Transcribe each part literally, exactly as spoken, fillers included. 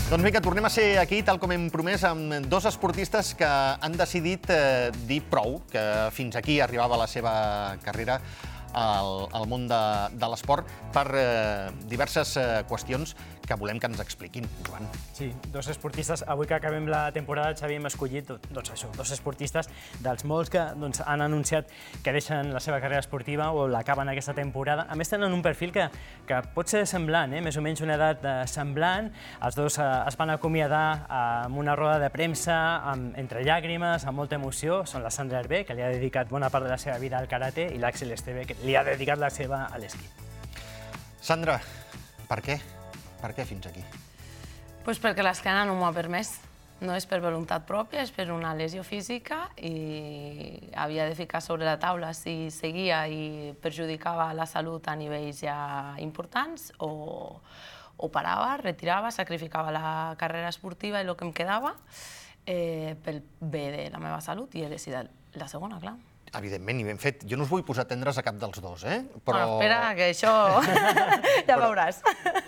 Doncs vinga, tornem a ser aquí, tal com hem promès, amb dos esportistes que han decidit eh, dir prou, que fins aquí arribava la seva carrera al, al món de, de l'esport per eh, diverses eh, qüestions que volem que ens expliquin, Joan. Sí, dos esportistes. Avui que acabem la temporada, Xavi, hem escollit doncs això, dos esportistes dels molts que doncs, han anunciat que deixen la seva carrera esportiva o l'acaben aquesta temporada. A més, tenen un perfil que, que pot ser semblant, eh? més o menys una edat eh, semblant. Els dos eh, es van acomiadar eh, amb una roda de premsa, amb, entre llàgrimes, amb molta emoció. Són la Sandra Hervé, que li ha dedicat bona part de la seva vida al karate, i l'Àxel Esteve, que li ha dedicat la seva a l'esquí. Sandra, per què? Per què fins aquí? Pues perquè l'esquena no m'ho ha permès. No és per voluntat pròpia, és per una lesió física i havia de ficar sobre la taula si seguia i perjudicava la salut a nivells ja importants o, o parava, retirava, sacrificava la carrera esportiva i el que em quedava eh, pel bé de la meva salut i he decidit la segona, clar. Evidentment, i ben fet. Jo no us vull posar tendres a cap dels dos, eh? Però... Bueno, espera, que això ja veuràs.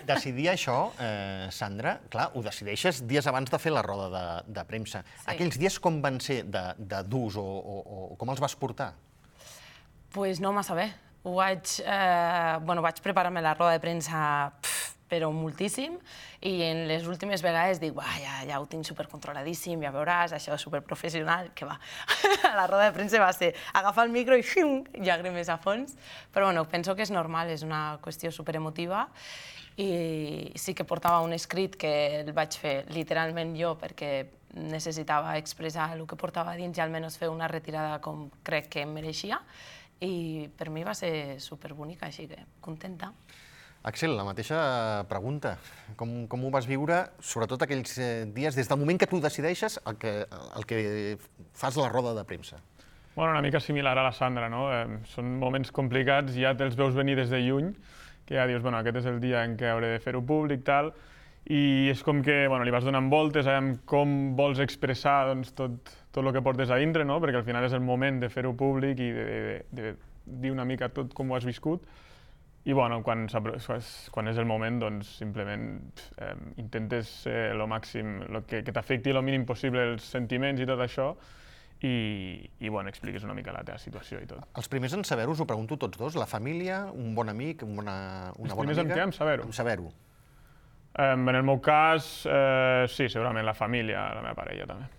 Decidir això, eh, Sandra, clar, ho decideixes dies abans de fer la roda de, de premsa. Sí. Aquells dies com van ser de, de durs o, o, o com els vas portar? Pues no massa bé. Ho vaig, eh, bueno, vaig preparar-me la roda de premsa pff, però moltíssim, i en les últimes vegades dic, ja, ja ho tinc supercontroladíssim, ja veuràs, això és superprofessional, que va. La roda de premsa va ser agafar el micro i xum, llàgrimes a fons, però bueno, penso que és normal, és una qüestió superemotiva, i sí que portava un escrit que el vaig fer literalment jo perquè necessitava expressar el que portava dins i almenys fer una retirada com crec que em mereixia, i per mi va ser superbonica, així que contenta. Àxel, la mateixa pregunta. Com, com ho vas viure, sobretot aquells dies, des del moment que tu decideixes el que, el que fas la roda de premsa? Bueno, una mica similar a la Sandra, no? Eh, són moments complicats, ja te'ls veus venir des de lluny, que ja dius, bueno, aquest és el dia en què hauré de fer-ho públic, tal, i és com que bueno, li vas donant voltes amb com vols expressar doncs, tot, tot el que portes a dintre, no? Perquè al final és el moment de fer-ho públic i de, de, de dir una mica tot com ho has viscut. I bueno, quan, quan és el moment, doncs simplement eh, intentes eh, el màxim, lo que, que t'afecti el mínim possible els sentiments i tot això, i, i bueno, expliques una mica la teva situació i tot. Els primers en saber-ho, us ho pregunto tots dos, la família, un bon amic, una, una bona amiga... Els primers en què? En saber-ho? En saber-ho. Eh, en el meu cas, eh, sí, segurament la família, la meva parella també.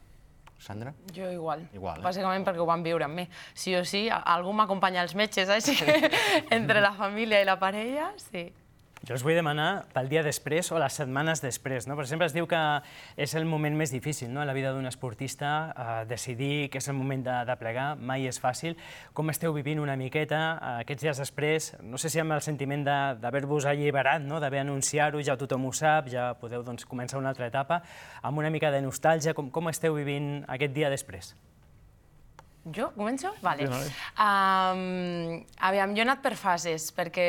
Sandra? Jo igual, igual eh? Bàsicament perquè ho van viure amb mi. Sí o sí, algú m'acompanya als metges, així que entre la família i la parella, sí. Jo us vull demanar pel dia després o les setmanes després, no? Per exemple, es diu que és el moment més difícil, no?, en la vida d'un esportista, eh, decidir que és el moment de, de plegar, mai és fàcil. Com esteu vivint una miqueta eh, aquests dies després? No sé si amb el sentiment d'haver-vos alliberat, no?, d'haver anunciat-ho, ja tothom ho sap, ja podeu doncs, començar una altra etapa, amb una mica de nostàlgia. Com, com esteu vivint aquest dia després? Jo? Començo? Vale. Sí, um, aviam, jo he anat per fases, perquè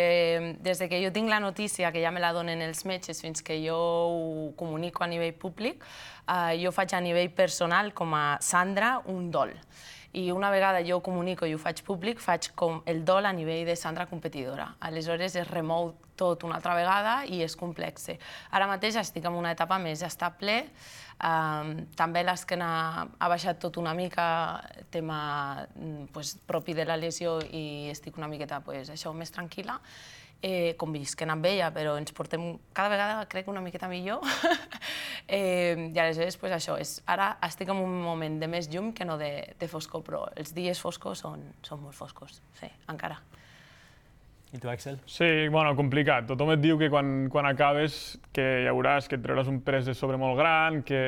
des de que jo tinc la notícia, que ja me la donen els metges, fins que jo ho comunico a nivell públic, uh, jo faig a nivell personal, com a Sandra, un dol. I una vegada jo ho comunico i ho faig públic, faig com el dol a nivell de Sandra competidora. Aleshores es remou tot una altra vegada i és complex. Ara mateix estic en una etapa més estable, um, també l'esquena ha baixat tot una mica, tema pues, propi de la lesió, i estic una miqueta pues, això, més tranquil·la. Eh, convisquent amb ella, però ens portem cada vegada, crec, una miqueta millor. eh, I aleshores, pues, això, és, ara estic en un moment de més llum que no de, de foscor, però els dies foscos són, són molt foscos, sí, encara. I tu, Àxel? Sí, bueno, complicat. Tothom et diu que quan, quan acabes que ja veuràs que et trauràs un pes de sobre molt gran, que,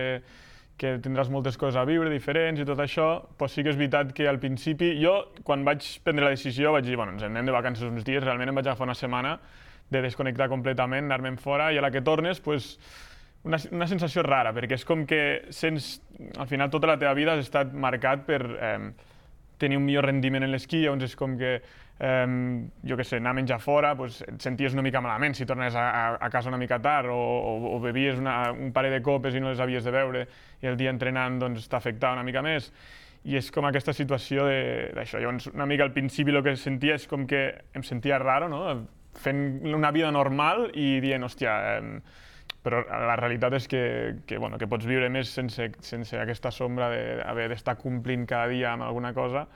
que tindràs moltes coses a viure diferents i tot això, però sí que és veritat que al principi, jo, quan vaig prendre la decisió, vaig dir, bueno, ens anem de vacances uns dies, realment em vaig agafar una setmana de desconnectar completament, anar-me'n fora, i a la que tornes, pues, una, una sensació rara, perquè és com que sents, al final, tota la teva vida has estat marcat per eh, tenir un millor rendiment en l'esquí, llavors és com que Um, jo què sé, anar a menjar fora, pues, et senties una mica malament si tornes a, a, a casa una mica tard, o, o, o bevies una, un parell de copes i no les havies de beure, i el dia entrenant doncs, t'afectava una mica més. I és com aquesta situació d'això. Llavors, una mica al principi el que sentia és com que em sentia raro, no?, fent una vida normal i dient, hòstia, eh, però la realitat és que, que, bueno, que pots viure més sense, sense aquesta sombra d'haver d'estar complint cada dia amb alguna cosa.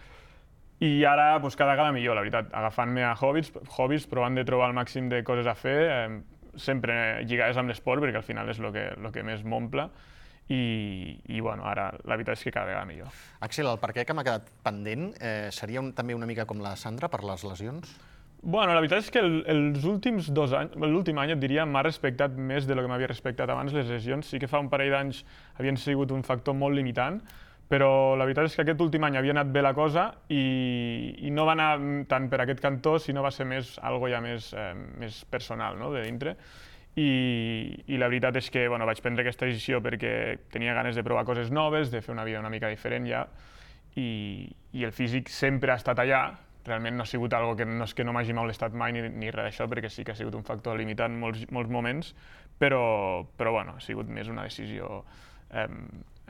I ara doncs, cada vegada millor, la veritat, agafant-me a hobbies, hobbies, provant de trobar el màxim de coses a fer, eh, sempre lligades amb l'esport, perquè al final és el que, lo que més m'omple. I, i bueno, ara la veritat és que cada vegada millor. Axel, el per què que m'ha quedat pendent eh, seria un, també una mica com la Sandra per les lesions? Bueno, la veritat és que el, els últims dos anys, l'últim any et diria, m'ha respectat més de lo que m'havia respectat abans. Les lesions sí que fa un parell d'anys havien sigut un factor molt limitant, però la veritat és que aquest últim any havia anat bé la cosa i, i no va anar tant per aquest cantó, sinó va ser més algo ja més, eh, més personal, no?, de dintre. I, i la veritat és que bueno, vaig prendre aquesta decisió perquè tenia ganes de provar coses noves, de fer una vida una mica diferent ja, i, i el físic sempre ha estat allà. Realment no ha sigut algo que no és que no m'hagi molestat mai ni, ni res d'això, perquè sí que ha sigut un factor limitant en molts, molts moments, però, però bueno, ha sigut més una decisió eh,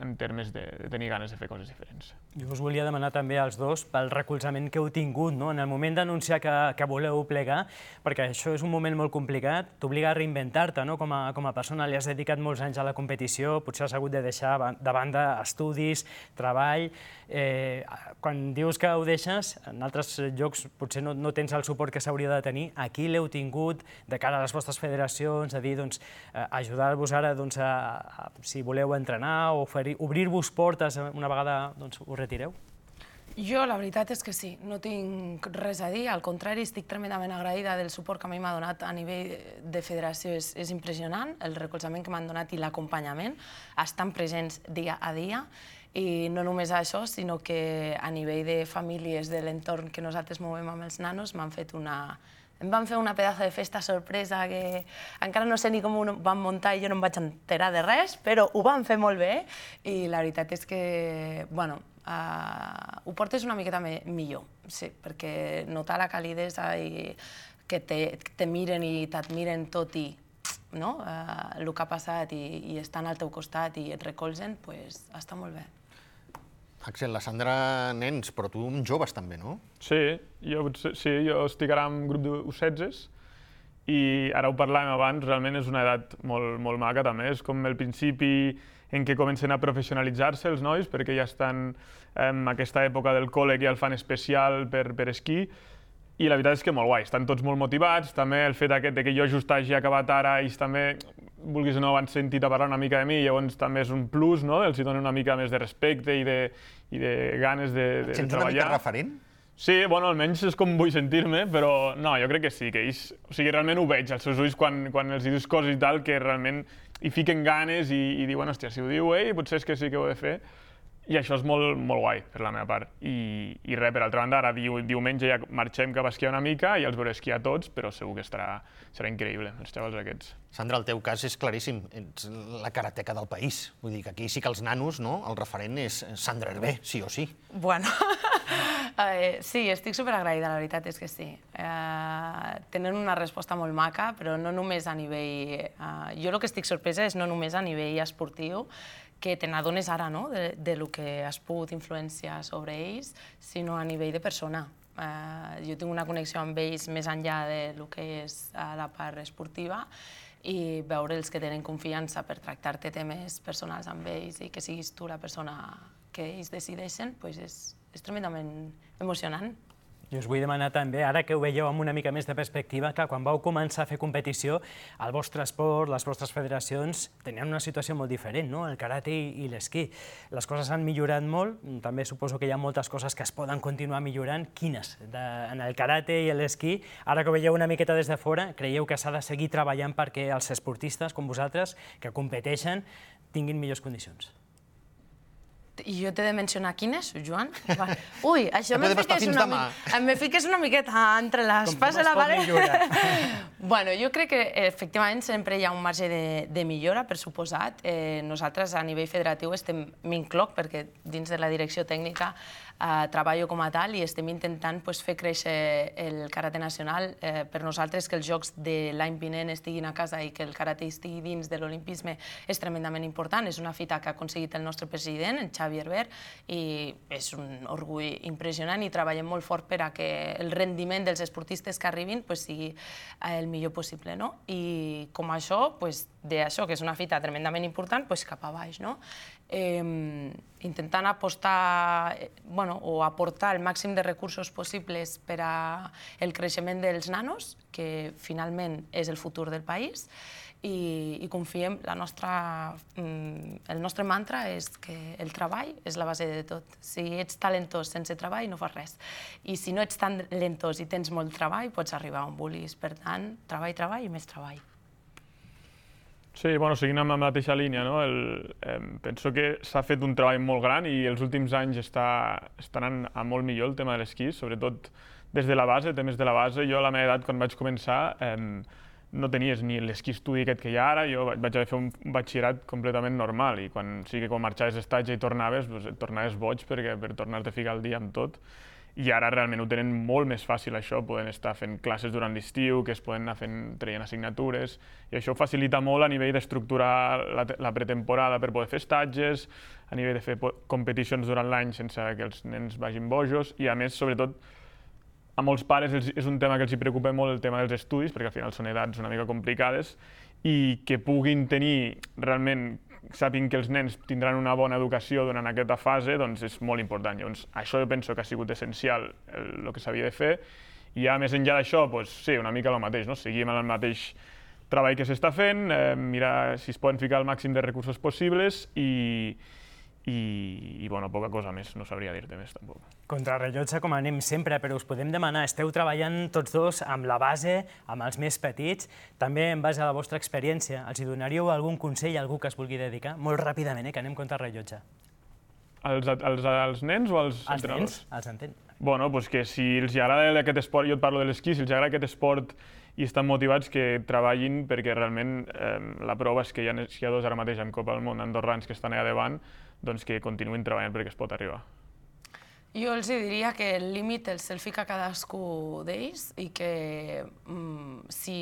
en termes de, de tenir ganes de fer coses diferents. Jo us volia demanar també als dos pel recolzament que heu tingut, no?, en el moment d'anunciar que, que voleu plegar, perquè això és un moment molt complicat, t'obliga a reinventar-te, no?, com a, com a persona. Li has dedicat molts anys a la competició, potser has hagut de deixar de banda estudis, treball. Eh, quan dius que ho deixes, en altres llocs potser no, no tens el suport que s'hauria de tenir. Aquí l'heu tingut de cara a les vostres federacions, a dir, doncs, eh, ajudar-vos ara, doncs, a, a, si voleu entrenar o obrir-vos portes una vegada doncs, us retireu? Jo la veritat és que sí, no tinc res a dir, al contrari, estic tremendament agraïda del suport que a mi m'ha donat a nivell de federació, és, és impressionant, el recolzament que m'han donat i l'acompanyament, estan presents dia a dia, i no només això, sinó que a nivell de famílies de l'entorn que nosaltres movem amb els nanos m'han fet una... Em van fer una pedazo de festa sorpresa que encara no sé ni com ho van muntar i jo no em vaig enterar de res, però ho van fer molt bé i la veritat és que, bueno, uh, ho portes una miqueta me millor, sí, perquè notar la calidesa i que te, te miren i t'admiren tot i no? uh, el que ha passat i, i estan al teu costat i et recolzen, pues, està molt bé. Axel, la Sandra, nens, però tu amb joves també, no? Sí, jo, sí, jo estic ara en grup d'U setze i ara ho parlàvem abans, realment és una edat molt, molt maca també, és com el principi en què comencen a professionalitzar-se els nois perquè ja estan en aquesta època del col·le que ja el fan especial per, per esquí i la veritat és que molt guai, estan tots molt motivats, també el fet aquest de que jo just hagi acabat ara, ells també, vulguis o no, han sentit a parlar una mica de mi, llavors també és un plus, no?, els hi dona una mica més de respecte i de, i de ganes de, de, de Sents treballar. una mica referent? Sí, bueno, almenys és com vull sentir-me, però no, jo crec que sí, que ells, o sigui, realment ho veig als seus ulls quan, quan els dius coses i tal, que realment hi fiquen ganes i, i diuen, hòstia, si ho diu ell, potser és que sí que ho he de fer. I això és molt, molt guai, per la meva part. I, i res, per altra banda, ara diu, diumenge ja marxem cap a esquiar una mica i els veuré esquiar tots, però segur que estarà, serà increïble, els xavals aquests. Sandra, el teu cas és claríssim, ets la karateca del país. Vull dir que aquí sí que els nanos, no?, el referent és Sandra Hervé, sí o sí. Bueno, eh, sí, estic superagraïda, la veritat és que sí. Eh, tenen una resposta molt maca, però no només a nivell... Eh, jo el que estic sorpresa és no només a nivell esportiu, que te n'adones ara, no?, de, de lo que has pogut influenciar sobre ells, sinó a nivell de persona. Eh, jo tinc una connexió amb ells més enllà de lo que és uh, la part esportiva i veure els que tenen confiança per tractar-te temes personals amb ells i que siguis tu la persona que ells decideixen, pues és, és tremendament emocionant. I us vull demanar també, ara que ho veieu amb una mica més de perspectiva, que quan vau començar a fer competició, el vostre esport, les vostres federacions, tenien una situació molt diferent, no?, el karate i l'esquí. Les coses han millorat molt, també suposo que hi ha moltes coses que es poden continuar millorant. Quines? De, en el karate i l'esquí, ara que ho veieu una miqueta des de fora, creieu que s'ha de seguir treballant perquè els esportistes, com vosaltres, que competeixen, tinguin millors condicions? I jo t'he de mencionar quines, Joan? Ui, això me fiques una, me fiques una miqueta entre l'espasa i la paret. Bueno, jo crec que efectivament sempre hi ha un marge de, de millora, per suposat. Eh, nosaltres a nivell federatiu estem, m'incloc, perquè dins de la direcció tècnica eh, treballo com a tal i estem intentant pues, fer créixer el karate nacional. Eh, per nosaltres que els jocs de l'any vinent estiguin a casa i que el karate estigui dins de l'olimpisme és tremendament important. És una fita que ha aconseguit el nostre president, en Xavi Hervé, i és un orgull impressionant i treballem molt fort per a que el rendiment dels esportistes que arribin pues, sigui el millor possible. No? I com això, pues, d'això, que és una fita tremendament important, doncs cap a baix, no? Eh, intentant apostar, bueno, o aportar el màxim de recursos possibles per al creixement dels nanos, que finalment és el futur del país, i, i confiem, la nostra, el nostre mantra és que el treball és la base de tot. Si ets talentós sense treball, no fas res. I si no ets tan talentós i tens molt treball, pots arribar on vulguis. Per tant, treball, treball i més treball. Sí, bueno, seguint amb la mateixa línia, no? El, eh, penso que s'ha fet un treball molt gran i els últims anys està, està anant a molt millor el tema de l'esquí, sobretot des de la base, temes de la base. Jo a la meva edat, quan vaig començar, eh, no tenies ni l'esquí estudi aquest que hi ha ara, jo vaig haver fer un batxillerat completament normal i quan, sí que quan marxaves d'estatge i tornaves, doncs et tornaves boig perquè, per tornar-te a ficar al dia amb tot. I ara realment ho tenen molt més fàcil això, poden estar fent classes durant l'estiu, que es poden anar fent, traient assignatures, i això facilita molt a nivell d'estructurar la, la pretemporada per poder fer estatges, a nivell de fer competicions durant l'any sense que els nens vagin bojos, i a més, sobretot, a molts pares és un tema que els preocupa molt el tema dels estudis, perquè al final són edats una mica complicades, i que puguin tenir realment, sàpiguen que els nens tindran una bona educació durant aquesta fase, doncs és molt important. Llavors, això jo penso que ha sigut essencial el que s'havia de fer, i ja més enllà d'això, doncs, sí, una mica el mateix, no? Seguim amb el mateix treball que s'està fent, eh, mirar si es poden ficar el màxim de recursos possibles i, i, i bueno, poca cosa més, no sabria dir-te més tampoc. Contrarrellotge com anem sempre, però us podem demanar, esteu treballant tots dos amb la base, amb els més petits, també en base a la vostra experiència, els hi donaríeu algun consell a algú que es vulgui dedicar? Molt ràpidament, eh, que anem contrarrellotge. Els, els, els nens o els els entrenadors? Els nens, els entens. Bueno, doncs que si els agrada aquest esport, jo et parlo de l'esquí, si els agrada aquest esport i estan motivats, que treballin, perquè realment eh, la prova és que hi ha esquiadors ara mateix en Copa del Món andorrans que estan allà davant, doncs que continuïn treballant perquè es pot arribar. Jo els diria que el límit el se'l fica cadascú d'ells i que mm, si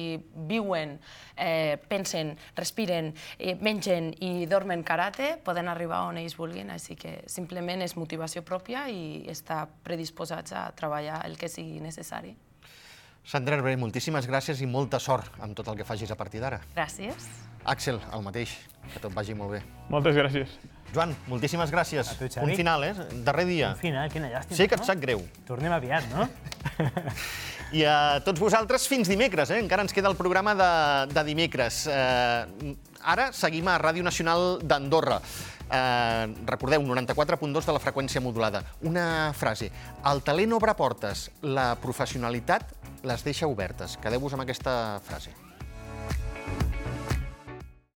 viuen, eh, pensen, respiren, eh, mengen i dormen karate, poden arribar on ells vulguin, així que simplement és motivació pròpia i estar predisposats a treballar el que sigui necessari. Sandra Hervé, moltíssimes gràcies i molta sort amb tot el que facis a partir d'ara. Gràcies. Àxel, el mateix, que tot vagi molt bé. Moltes gràcies. Joan, moltíssimes gràcies. A tu, Xavi. Un final, eh? Darrer dia. Un final, quina llàstima. Sé que et no? sap greu. Tornem aviat, no? I a tots vosaltres, fins dimecres, eh? Encara ens queda el programa de, de dimecres. Eh, ara seguim a Ràdio Nacional d'Andorra. Eh, recordeu, noranta-quatre punt dos de la freqüència modulada. Una frase. El talent obre portes, la professionalitat les deixa obertes. Quedeu-vos amb aquesta frase.